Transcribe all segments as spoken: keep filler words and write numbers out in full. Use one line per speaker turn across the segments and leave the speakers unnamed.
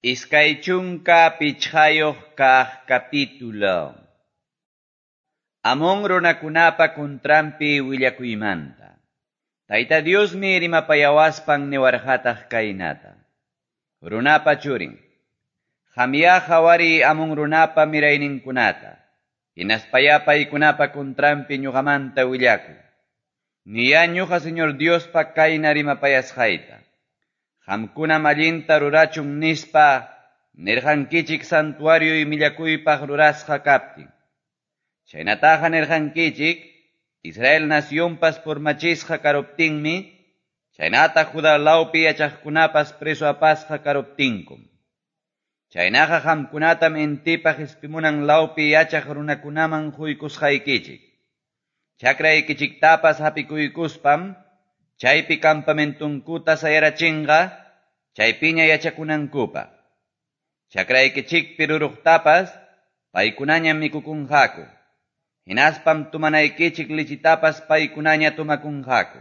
Iskay chunka pichqayuq kaq capítulo. Amón runakunapa contranpi willakuymanta. Tayta Diosmi rimapayawaspan niwarqataq kaynata. Runapa churin. Qamyá qhawariy Amón runapa mirayninkunata. Hinaspayá paykunapa contranpi ñuqamanta willakuy. Niyá ñuqa Señor Diospa kayna rimapayasqayta. Qamkunam allinta rurachun nispa nirqankichik santuarioy millakuypaq rurasqa kaptin. Chaynataqa nirqankichik Israel nacionpas purmachisqa karuptinmi, chaynata Judá lawpi yachaqkunapas preso apasqa karuptinkum. Chaynaqa qamkunatam intipa qispimunan lawpi yachaq runakunaman quykusqaykichik. Chakraykichiktapas hapikuykuspam, chaypi campamentunkuta sayarachinqa, chaypiña yachakunankupaq. Chakraykichikpi ruruqtapas, paykunañam mikukunqaku. Hinaspam tumanaykichik lichitapas paykunaña tumakunqaku.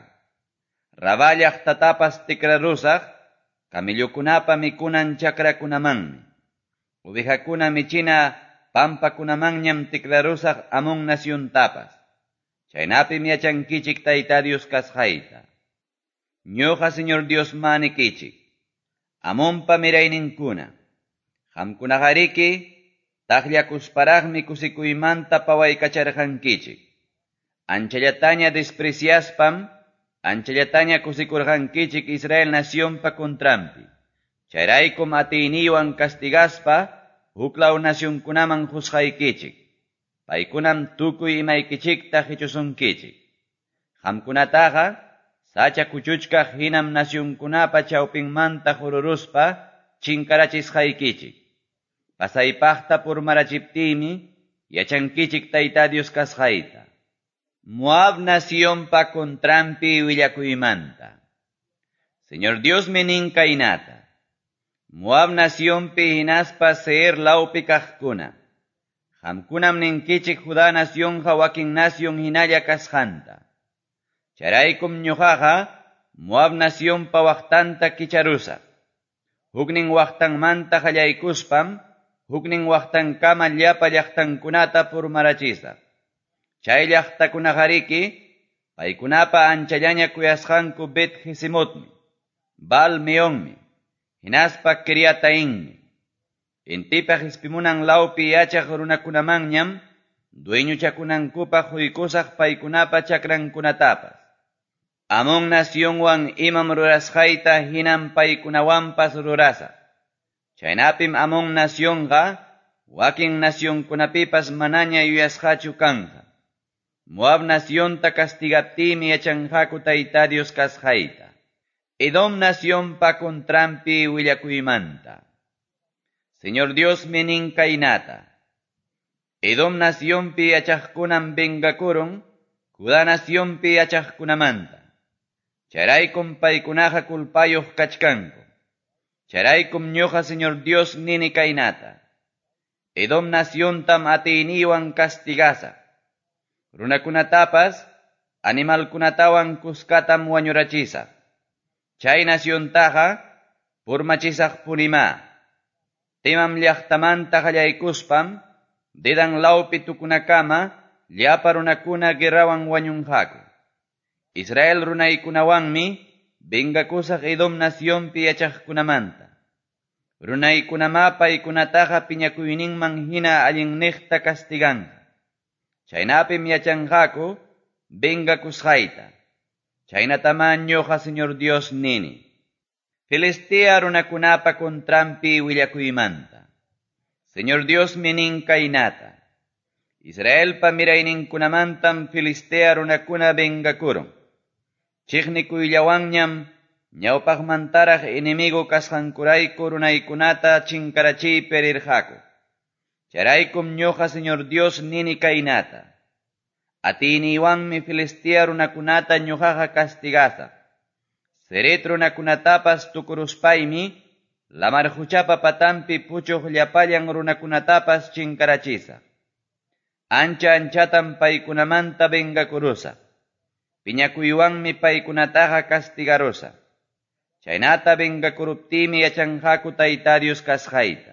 Rabá llaqtatapas tikrarusaq, camellokunapa mikunan chakrakunamanmi. Ovejakuna michina pampakunamanñam tikrarusaq Amón naciontapas. Chaynapim yachankichik Tayta Dios kasqayta. Ñuqa Señor Dios manikichik. Amonpa mirayninkuna. Qamkunaqariki taqllakusparaqmi kusikuymanta pawaykacharqankichik. Anchallataña despreciaspam, anchallataña kusikurqankichik Israel nacionpa contranpi. Chayraykum atiyniywan castigaspa, huklaw nacionkunaman juzgaykichik. Paykunam tukuy imaykichikta qichusunkichik. Qamkunataqa sacha kuchuchkaq hinam nacionkunapa chawpinmanta jururuspa chinkarachisqaykichik. Pasaypaqta purmarachiptiymi yachankichik Tayta Dios kasqayta. Moab nacionpa contranpi willakuymanta. Señor Dios nin kaynata. Moab nacionpi hinaspa Seir lawpi kaqkuna. Qamkunam ninkichik Judá nacionqa wakin nacion hinalla kasqanta. Chayraykum ñuqaqa Moab nacionpa waqtanta kicharusaq. Huknin waqtanmanta qallaykuspam, huknin waqtankama llapa llaqtankunata purmarachisaq. Chay llaqtakunaqariki, paykunapa anchallaña kuyasqanku Bet Jesimotmi, Baal Meonmi, hinaspa Kiriatainmi. Intipa qispimunan lawpi yachaq runakunamanñam, dueñochakunankupaq quykusaq paykunapa chakrankunatapas. Amón nacionwan imam rurasqayta hinam paykunawanpas rurasaq. Chaynapim Amón nacionqa wakin nacionkunapipas manaña yuyasqachu kanqa. Moab nacionta castigaptiymi yachanqaku Tayta Dios kasqayta. Edom nacionpa contranpi willakuymanta. Señor Dios nin kaynata. Edom nacionpi yachaqkunam vengakurun, Judá nacionpi yachaqkunamanta. Chayraykum paykunaqa kulpayuq kachkanku. Chayraykum ñuqa Señor Dios nini kaynata. Edom naciontam atiyniywan castigasaq. Runakunatapas, animalkunatawan kuskatam wañurachisaq. Chay naciontaqa purmachisaq punimá. Temam llaqtamanta qallaykuspam, Dedan lawpi tukunakama, llapa runakuna guerrawan wañunqaku. Israel runaykunawanmi vengakusaq Edom nacionpi yachaqkunamanta. Runaykunamá paykunataqa piñakuyninman hina allinniqta castiganqa. Chaynapim yachanqaku vengakusqayta. Chaynatamá ñuqa Señor Dios nini. Filistea runakunapa contranpi willakuymanta. Señor Dios nin kaynata. Israelpa mirayninkunamantam Filistea runakuna vengakurun. Chiqnikuyllawanñam ñawpaqmantaraq enemigo kasqankurayku runaykunata chinkarachiypi rirqaku. Chayraykum ñuqa Señor Dios nini kaynata. Atiyniywanmi Filistea runakunata ñuqaqa castigasaq. Ceret runakunatapas tukuruspaymi, lamar quchapa patanpi puchuq llapallan runakunatapas chinkarachisaq. Ancha anchatam paykunamanta vengakurusaq. Piñakuywanmi paykunataqa castigarusaq. Chaynata vengakuruptiymi yachanqaku Tayta Dios kasqayta.